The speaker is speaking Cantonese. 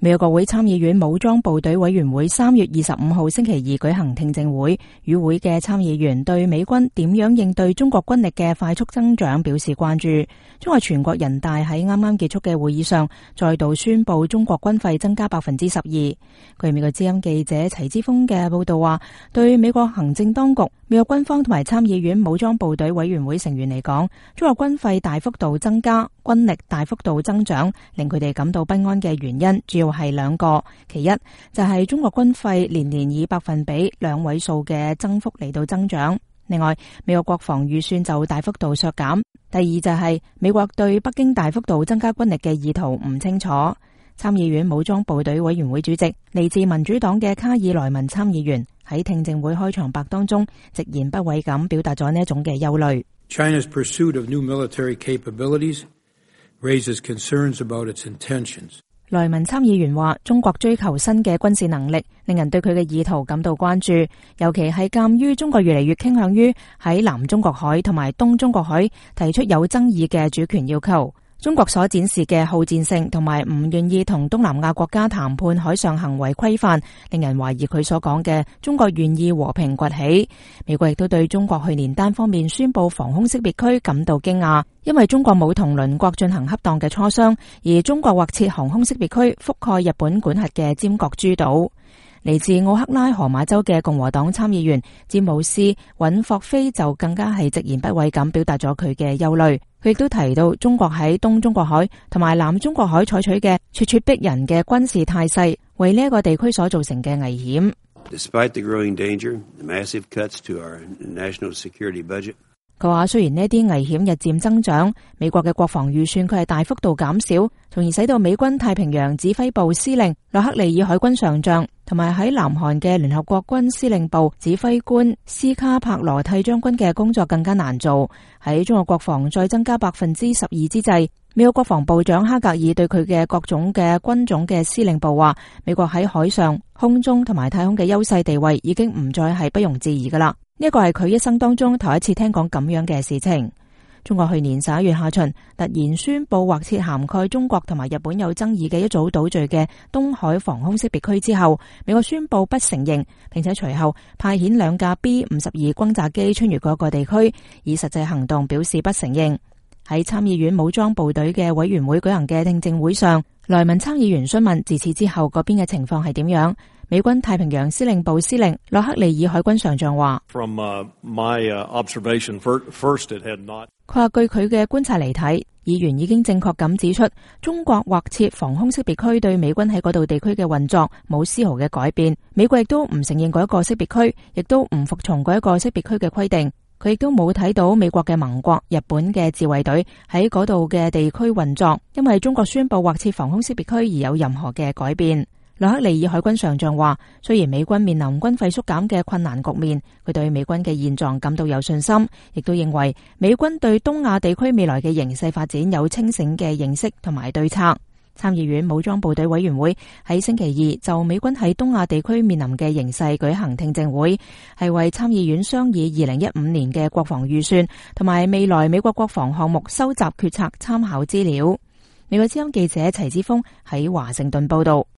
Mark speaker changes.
Speaker 1: 美國國會參議院武裝部隊委員會3月25號星期二舉行聽證會，與會嘅參議員對美軍點樣應對中國軍力嘅快速增長表示關注。中國全國人大喺啱啱結束嘅會議上，再度宣布中國軍費增加12%。據美國之音記者齊之鋒嘅報道話，對美國行政當局、美國軍方同埋參議院武裝部隊委員會成員嚟講，中國軍費大幅度增加、軍力大幅度增長，令佢哋感到不安嘅原因主要係兩個。其一就係中國軍費年年以2%兩位數嘅增幅嚟到增長，另外美國國防預算就大幅度削減。第二就係美國對北京大幅度增加軍力嘅意圖唔清楚。參議院武裝部隊委員會主席嚟自民主黨嘅卡爾萊文參議員喺聽證會開場白當中直言不諱咁表達咗呢一種嘅憂慮。
Speaker 2: China's pursuit of new military capabilities raises concerns about its intentions.
Speaker 1: 萊文參議員話，中國追求新嘅軍事能力，令人對佢嘅意圖感到關注，尤其係鑑於中國越嚟越傾向於喺南中國海同埋東中國海提出有爭議嘅主權要求。中國所展示嘅好戰性同埋唔願意同東南亞國家談判海上行為規範，令人懷疑佢所講嘅中國願意和平崛起。美國亦都對中國去年單方面宣布防空識別區感到驚訝，因為中國冇同鄰國進行恰當嘅磋商，而中國劃設航空識別區覆蓋日本管轄嘅尖閣諸島。嚟自奧克拉荷馬州嘅共和黨參議員詹姆斯·尹霍菲就更加係直言不諱咁表達咗佢嘅憂慮。佢亦都提到中國喺東中國海同埋南中國海採取嘅咄咄逼人嘅軍事態勢，為呢一個地區所造成嘅危險。
Speaker 3: Despite the growing danger, the massive cuts to our national security budget.
Speaker 1: 佢話雖然呢啲危險日漸增長，美國嘅國防預算佢係大幅度減少，從而使到美軍太平洋指揮部司令洛克利爾海軍上將同埋喺南韓嘅聯合國軍司令部指揮官斯卡帕羅蒂將軍嘅工作更加難做。喺中國國防再增加12%之際，美國國防部長哈格爾對佢嘅各種嘅軍種嘅司令部話，美國喺海上、空中同埋太空嘅優勢地位已經唔再係不容置疑噶啦。呢一個係佢一生當中頭一次聽講咁樣嘅事情。中國去年11月下旬突然宣布劃設涵蓋中國同埋日本有爭議嘅一組島嶼嘅東海防空識別區之後，美國宣布不承認，並且隨後派遣2架 B-52 轟炸機穿越嗰個地區，以實際行動表示不承認。喺參議院武裝部隊嘅委員會舉行嘅聽證會上，萊文參議員詢問自此之後嗰邊嘅情況係點樣。美軍太平洋司令部司令洛克利爾海軍上將話，佢話據佢嘅觀察嚟睇，議員已經正確咁指出，中國劃設防空識別區對美軍喺嗰度地區嘅運作冇絲毫嘅改變。美國亦都唔承認嗰一個識別區，亦都唔服從嗰一個識別區嘅規定。佢亦都冇睇到美國嘅盟國日本嘅自衛隊喺嗰度嘅地區運作，因為中國宣布劃設防空識別區而有任何嘅改變。洛克利爾海軍上將話，雖然美軍面臨軍費縮減嘅困難局面，佢對美軍嘅現狀感到有信心，亦都認為美軍對東亞地區未來嘅形勢發展有清醒嘅認識同埋對策。參議院武裝部隊委員會喺星期二就美軍喺東亞地區面臨嘅形勢舉行聽證會，係為參議院商議2015年嘅國防預算同埋未來美國國防項目收集決策參考資料。美國之音記者齊之鋒喺華盛頓報道。